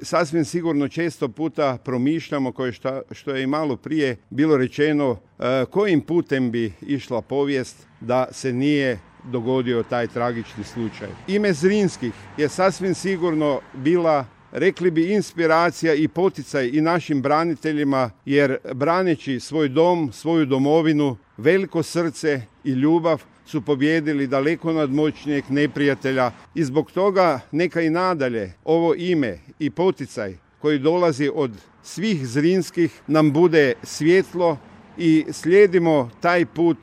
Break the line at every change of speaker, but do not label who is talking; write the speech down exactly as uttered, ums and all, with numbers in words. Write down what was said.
sasvim sigurno često puta promišljamo, koje šta, što je i malo prije bilo rečeno, e, kojim putem bi išla povijest da se nije dogodio taj tragični slučaj. Ime Zrinskih je sasvim sigurno bila, rekli bi, inspiracija i poticaj i našim braniteljima, jer braneći svoj dom, svoju domovinu, veliko srce i ljubav su pobijedili daleko nadmoćnijeg neprijatelja i zbog toga neka i nadalje ovo ime i poticaj koji dolazi od svih Zrinskih nam bude svjetlo i slijedimo taj put